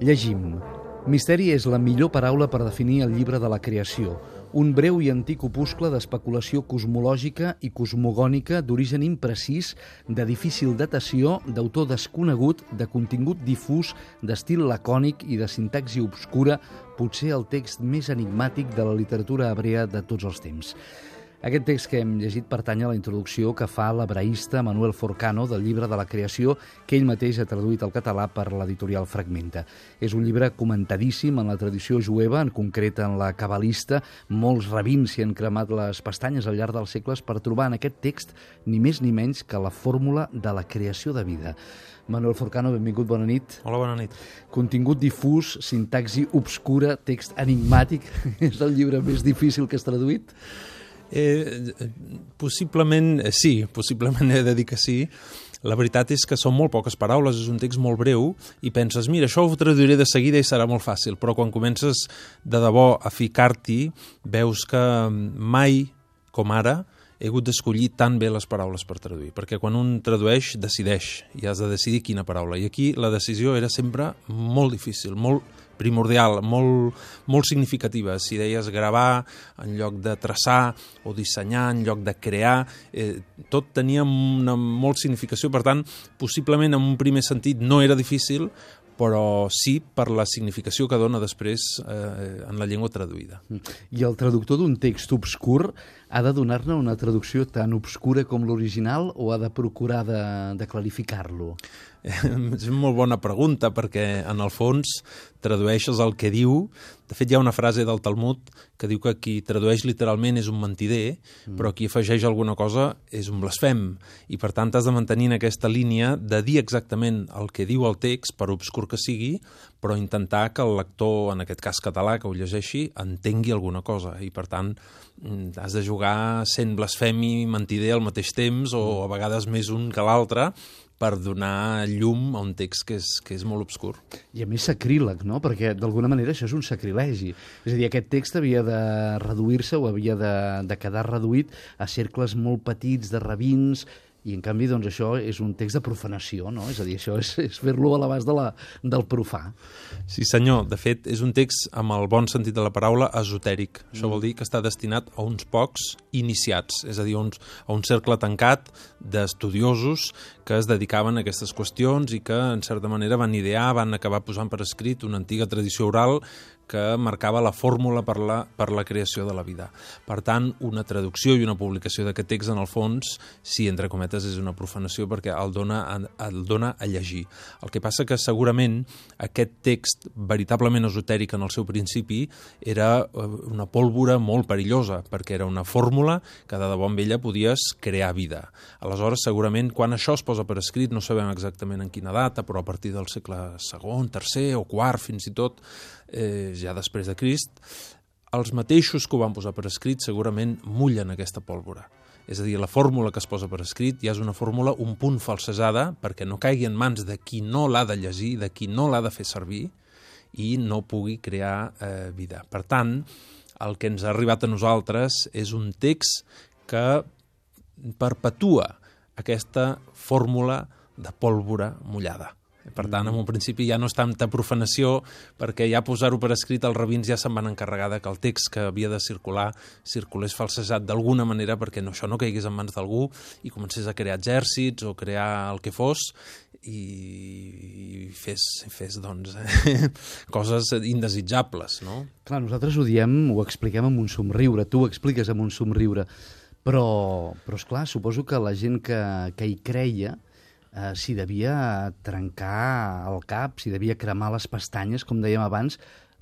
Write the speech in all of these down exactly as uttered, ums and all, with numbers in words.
Llegim. Misteri és la millor paraula per definir el llibre de la creació, un breu i antic opuscle d'especulació cosmològica i cosmogònica d'origen imprecís, de difícil datació, d'autor desconegut, de contingut difús, d'estil lacònic i de sintaxi obscura, potser el text més enigmàtic de la literatura hebrea de tots els temps. Aquest text que hem llegit pertany a la introducció que fa l'hebraista Manuel Forcano del llibre de la creació, que ell mateix ha traduït al català per l'editorial Fragmenta. És un llibre comentadíssim en la tradició jueva, en concret en la cabalista. Molts rabins s'hi han cremat les pestanyes al llarg dels segles per trobar en aquest text ni més ni menys que la fórmula de la creació de vida. Manuel Forcano, benvingut, bona nit. Hola, bona nit. Contingut difús, sintaxi obscura, text enigmàtic. És el llibre més difícil que has traduït? Eh, possiblement sí, possiblement he de dir que sí. La veritat és que són molt poques paraules, és un text molt breu i penses, mira, això ho traduiré de seguida i serà molt fàcil, però quan comences de debò a ficar-t'hi veus que mai, com ara, he hagut d'escollir tan bé les paraules per traduir, perquè quan un tradueix, decideix, i has de decidir quina paraula. I aquí la decisió era sempre molt difícil, molt primordial, molt, molt significativa. Si deies gravar en lloc de traçar o dissenyar en lloc de crear, eh, tot tenia una molt significació. Per tant, possiblement en un primer sentit no era difícil, però sí per la significació que dona després eh, en la llengua traduïda. I el traductor d'un text obscur ha de donar-ne una traducció tan obscura com l'original o ha de procurar de, de clarificar-lo? És una molt bona pregunta, perquè en el fons tradueixes el que diu. De fet, hi ha una frase del Talmud que diu que qui tradueix literalment és un mentider, mm. però qui afegeix alguna cosa és un blasfem. I per tant has de mantenir en aquesta línia de dir exactament el que diu el text, per obscur que sigui, però intentar que el lector, en aquest cas català, que ho llegeixi, entengui alguna cosa. I per tant has de jugar sent blasfemi i mentider al mateix temps, o a vegades més un que l'altre, per donar llum a un text que és, que és molt obscur. I a més sacríleg, no? Perquè d'alguna manera això és un sacrilegi. És a dir, aquest text havia de reduir-se o havia de, de quedar reduït a cercles molt petits de rabins, i en canvi doncs, això és un text de profanació, no? És a dir, això és, és fer-lo a l'abast de la, del profà. Sí senyor, de fet és un text amb el bon sentit de la paraula esotèric. Mm. Això vol dir que està destinat a uns pocs iniciats, és a dir, a, uns, a un cercle tancat d'estudiosos que es dedicaven a aquestes qüestions i que en certa manera van idear, van acabar posant per escrit una antiga tradició oral que marcava la fórmula per la, per la creació de la vida. Per tant, una traducció i una publicació d'aquest text, en el fons, sí, entre cometes, és una profanació perquè el dona, el dona a llegir. El que passa que segurament aquest text veritablement esotèric en el seu principi era una pólvora molt perillosa, perquè era una fórmula que de debò amb ella podies crear vida. Aleshores, segurament, quan això es posa per escrit, no sabem exactament en quina data, però a partir del segle segon, tercer o quart, fins i tot, eh, ja després de Crist, els mateixos que ho van posar per escrit segurament mullen aquesta pólvora. És a dir, la fórmula que es posa per escrit ja és una fórmula un punt falsejada perquè no caigui en mans de qui no l'ha de llegir, de qui no l'ha de fer servir i no pugui crear eh, vida. Per tant, el que ens ha arribat a nosaltres és un text que perpetua aquesta fórmula de pólvora mullada. Per tant, en un principi ja no és tanta profanació, perquè ja posar-ho per escrit els rabins ja se'n van encarregar que el text que havia de circular circulés falsejat d'alguna manera perquè no, això no caigués en mans d'algú i comencés a crear exèrcits o crear el que fos i fes, fes doncs, eh, coses indesitjables, no? Clar, nosaltres ho diem, ho expliquem amb un somriure, tu ho expliques amb un somriure, però, però esclar, suposo que la gent que, que hi creia Uh, s'hi devia trencar el cap, s'hi devia cremar les pestanyes, com dèiem abans,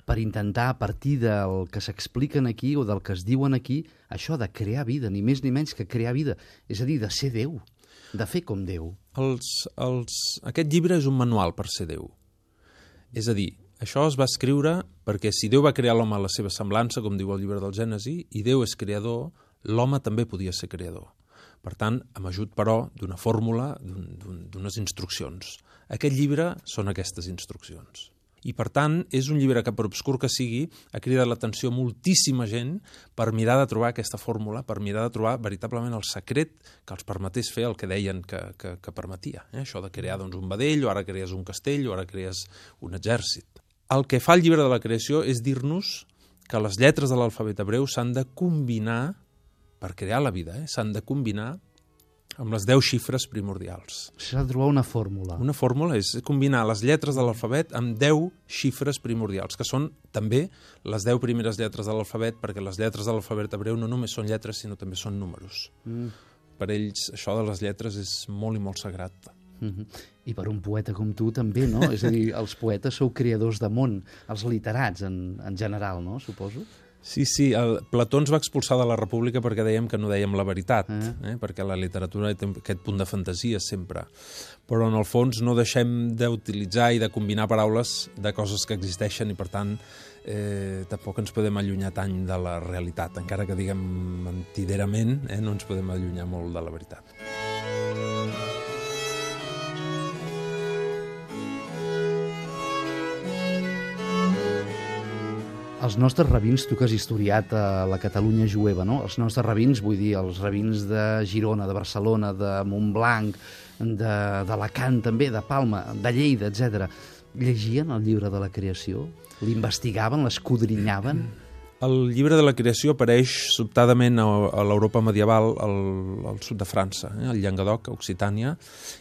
per intentar, a partir del que s'expliquen aquí o del que es diuen aquí, això de crear vida, ni més ni menys que crear vida. És a dir, de ser Déu, de fer com Déu. Els, els... Aquest llibre és un manual per ser Déu. És a dir, això es va escriure perquè si Déu va crear l'home a la seva semblança, com diu el llibre del Gènesi, i Déu és creador, l'home també podia ser creador. Per tant, amb ajut, però, d'una fórmula, d'unes instruccions. Aquest llibre són aquestes instruccions. I, per tant, és un llibre que, per obscur que sigui, ha cridat l'atenció moltíssima gent per mirar de trobar aquesta fórmula, per mirar de trobar veritablement el secret que els permetés fer el que deien que, que, que permetia. Eh? Això de crear doncs, un vedell, o ara crees un castell, o ara crees un exèrcit. El que fa el llibre de la creació és dir-nos que les lletres de l'alfabet hebreu s'han de combinar, per crear la vida, eh? s'han de combinar amb les deu xifres primordials. S'ha de trobar una fórmula. Una fórmula és combinar les lletres de l'alfabet amb deu xifres primordials, que són també les deu primeres lletres de l'alfabet, perquè les lletres de l'alfabet hebreu no només són lletres, sinó també són números. Mm. Per ells, això de les lletres és molt i molt sagrat. Mm-hmm. I per un poeta com tu també, no? És a dir, els poetes sou creadors de món, els literats en, en general, no? Suposo. Sí, sí, el Plató ens va expulsar de la República perquè dèiem que no dèiem la veritat, eh? Eh? perquè la literatura té aquest punt de fantasia sempre. Però en el fons no deixem d'utilitzar i de combinar paraules de coses que existeixen i per tant eh, tampoc ens podem allunyar tant de la realitat. Encara que diguem mentiderament, eh, no ens podem allunyar molt de la veritat. Els nostres rabins, tu que has historiat a la Catalunya jueva, no? Els nostres rabins, vull dir, els rabins de Girona, de Barcelona, de Montblanc, d'Alacant també, de Palma, de Lleida, etcètera, llegien el llibre de la creació? L'investigaven, l'escudrinyaven? El llibre de la creació apareix sobtadament a, a l'Europa medieval, al, al sud de França, eh, al Llenguadoc, a Occitània,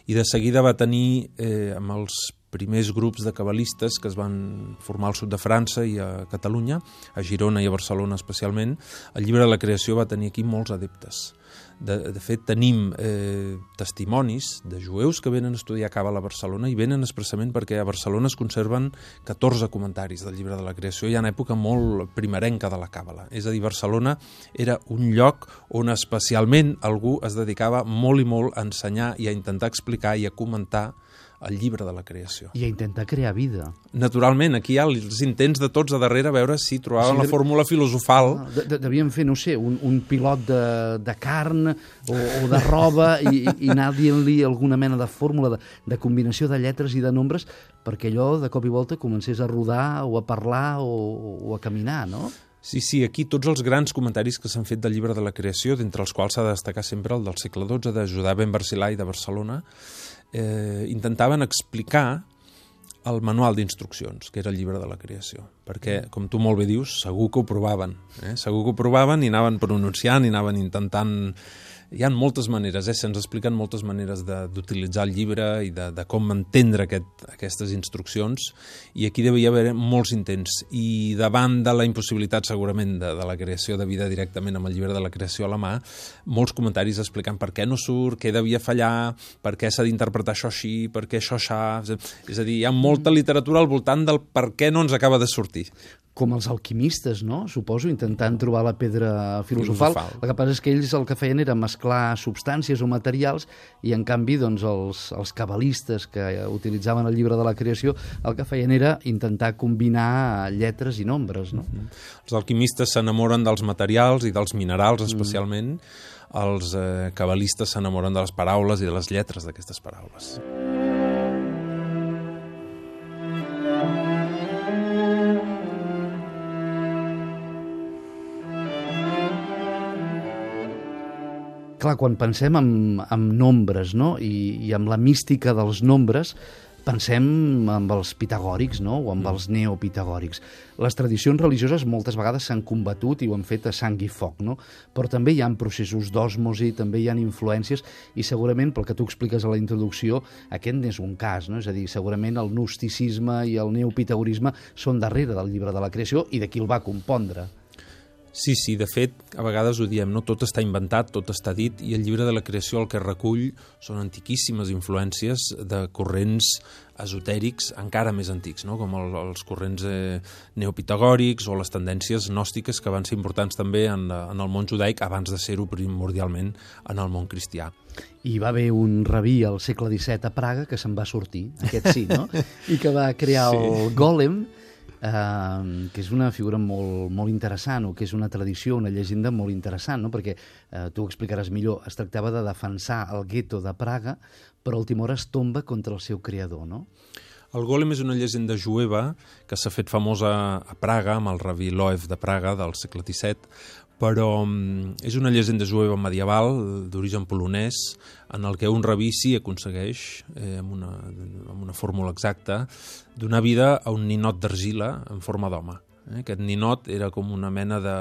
i de seguida va tenir, eh, amb els primers grups de cabalistes que es van formar al sud de França i a Catalunya, a Girona i a Barcelona especialment, el llibre de la creació va tenir aquí molts adeptes. De, de fet, tenim eh, testimonis de jueus que venen a estudiar Càbala a Barcelona i venen expressament perquè a Barcelona es conserven catorze comentaris del llibre de la creació, ja en època molt primerenca de la Càbala. És a dir, Barcelona era un lloc on especialment algú es dedicava molt i molt a ensenyar i a intentar explicar i a comentar el llibre de la creació. I a intentar crear vida. Naturalment, aquí hi ha els intents de tots a darrere a veure si trobaven sí, la fórmula filosofal. De, de, devien fer, no sé, un, un pilot de, de carn o, o de roba i, i anar dient-li alguna mena de fórmula de, de combinació de lletres i de nombres perquè allò de cop i volta comencés a rodar o a parlar o, o a caminar, no? Sí, sí, aquí tots els grans comentaris que s'han fet del llibre de la creació, d'entre els quals s'ha de destacar sempre el del segle dotze, de Judà ben Barcilai de Barcelona, eh, intentaven explicar el manual d'instruccions, que era el llibre de la creació. Perquè, com tu molt bé dius, segur que ho provaven. Eh? Segur que ho provaven i anaven pronunciant i anaven intentant... Hi ha moltes maneres, eh? se'ns expliquen moltes maneres d'utilitzar el llibre i de, de com entendre aquest, aquestes instruccions, i aquí devia haver molts intents. I davant de la impossibilitat, segurament, de, de la creació de vida directament amb el llibre de la creació a la mà, molts comentaris explicant per què no surt, què devia fallar, per què s'ha d'interpretar això així, per què això aixà... És a dir, hi ha molta literatura al voltant del per què no ens acaba de sortir. Com els alquimistes, no? Suposo, intentant trobar la pedra filosofal. filosofal. El que passa és que ells el que feien era mesclar substàncies o materials i, en canvi, doncs, els, els cabalistes que utilitzaven el llibre de la creació el que feien era intentar combinar lletres i nombres, no? Mm-hmm. Els alquimistes s'enamoren dels materials i dels minerals, especialment. Mm. Els eh, cabalistes s'enamoren de les paraules i de les lletres d'aquestes paraules. Clar, quan pensem en, en nombres, no? I, i amb la mística dels nombres, pensem amb els pitagòrics, no? O amb els neopitagòrics. Les tradicions religioses moltes vegades s'han combatut i ho han fet a sang i foc, no? Però també hi ha processos d'òsmosi, també hi ha influències, i segurament, pel que tu expliques a la introducció, aquest n'és un cas, no? És a dir, segurament el gnosticisme i el neopitagorisme són darrere del llibre de la creació i de qui el va compondre. Sí, sí, de fet, a vegades ho diem, no? Tot està inventat, tot està dit, i el llibre de la creació el que recull són antiquíssimes influències de corrents esotèrics encara més antics, no? Com el, els corrents eh, neopitagòrics o les tendències gnòstiques que van ser importants també en, en el món judaic abans de ser-ho primordialment en el món cristià. I va haver un rabí al segle disset a Praga que se'n va sortir, aquest sí, no? I que va crear sí. el Gòlem, Uh, que és una figura molt, molt interessant, o que és una tradició, una llegenda molt interessant, no? Perquè uh, tu ho explicaràs millor, es tractava de defensar el gueto de Praga, però a última hora es tomba contra el seu creador, no? El Gòlem és una llegenda jueva que s'ha fet famosa a Praga, amb el rabí Loew de Praga del segle disset, però és una llegenda jueva medieval d'origen polonès en el que un rabí sí aconsegueix, eh, amb, una, amb una fórmula exacta, donar vida a un ninot d'argila en forma d'home. Eh? Aquest ninot era com una mena de,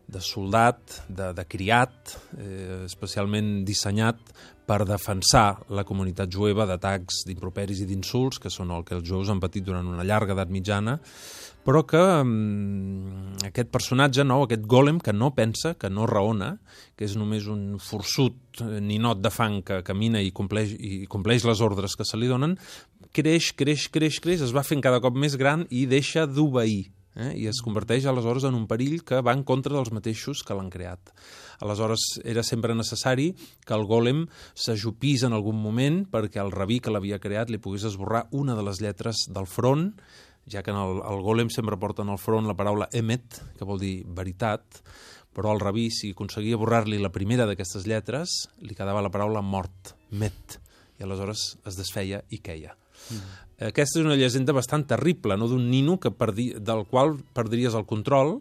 de soldat, de, de criat, eh, especialment dissenyat per defensar la comunitat jueva d'atacs, d'improperis i d'insults, que són el que els jueus han patit durant una llarga edat mitjana, però que um, aquest personatge nou, aquest gòlem que no pensa, que no raona, que és només un forçut ninot de fang que camina i compleix, i compleix les ordres que se li donen, creix, creix, creix, creix, es va fent cada cop més gran i deixa d'obeir. Eh? I es converteix aleshores en un perill que va en contra dels mateixos que l'han creat. Aleshores era sempre necessari que el gòlem s'ajupís en algun moment perquè el rabí que l'havia creat li pogués esborrar una de les lletres del front, ja que en el, el gòlem sempre porta en el front la paraula emet, que vol dir veritat, però el rabí, si aconseguia borrar-li la primera d'aquestes lletres, li quedava la paraula mort, met, i aleshores es desfeia i queia. Mm. Aquesta és una llegenda bastant terrible, no? D'un nino que perdi, del qual perdries el control,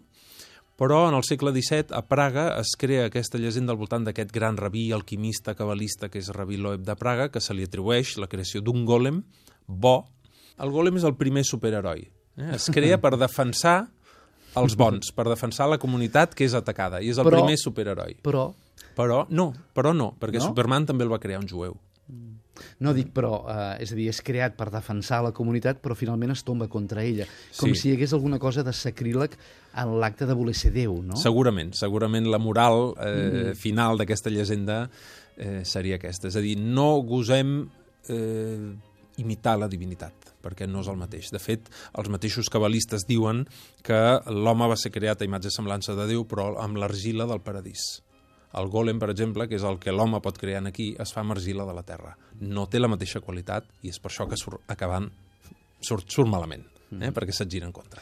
però en el segle disset a Praga es crea aquesta llegenda al voltant d'aquest gran rabí, alquimista, cabalista, que és Rabí Loeb de Praga, que se li atribueix la creació d'un gòlem bo. El gòlem és el primer superheroi. Eh? Es crea per defensar els bons, per defensar la comunitat que és atacada, i és el però, primer superheroi. Però... Però no, però no, perquè no? Superman també el va crear un jueu. No dic, però, eh, és a dir, és creat per defensar la comunitat, però finalment es tomba contra ella. Com Sí. si hi hagués alguna cosa de sacríleg en l'acte de voler ser Déu, no? Segurament, segurament la moral eh, Mm. final d'aquesta llegenda eh, seria aquesta. És a dir, no gosem eh, imitar la divinitat, perquè no és el mateix. De fet, els mateixos cabalistes diuen que l'home va ser creat a imatge i semblança de Déu, però amb l'argila del paradís. El gòlem, per exemple, que és el que l'home pot crear aquí, es fa amb argila de la terra. No té la mateixa qualitat i és per això que surt acabant, surt, surt malament, eh? perquè se't gira en contra.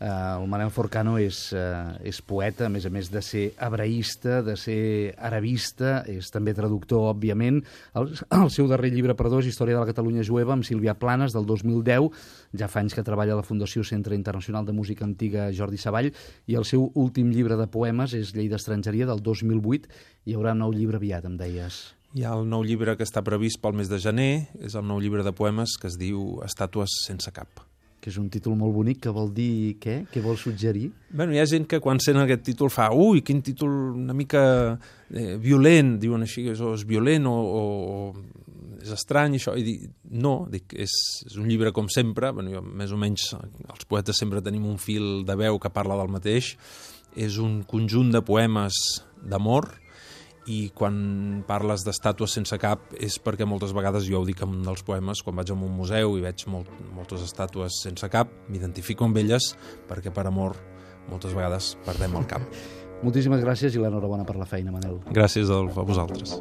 Uh, el Manel Forcano és, uh, és poeta, a més a més de ser hebraïsta, de ser arabista, és també traductor, òbviament. El, el seu darrer llibre, perdó, és Història de la Catalunya Jueva, amb Sílvia Planes, del dos mil deu. Ja fa anys que treballa a la Fundació Centre Internacional de Música Antiga Jordi Savall, i el seu últim llibre de poemes és Llei d'Estrangeria, del dos mil vuit. Hi haurà un nou llibre aviat, em deies. Hi ha el nou llibre que està previst pel mes de gener, és el nou llibre de poemes que es diu Estàtues sense cap. Que és un títol molt bonic, que vol dir què? Què vol suggerir? Bueno, hi ha gent que quan sent aquest títol fa ui, quin títol una mica eh, violent, diuen així, és, o és violent o, o, o és estrany, això. I dic, no, dic, és, és un llibre com sempre, bueno, jo, més o menys els poetes sempre tenim un fil de veu que parla del mateix, és un conjunt de poemes d'amor, i quan parles d'estàtues sense cap és perquè moltes vegades, jo ho dic en un dels poemes, quan vaig a un museu i veig molt, moltes estàtues sense cap, m'identifico amb elles perquè per amor moltes vegades perdem el cap. Moltíssimes gràcies i l'enhorabona per la feina, Manel. Gràcies a vosaltres.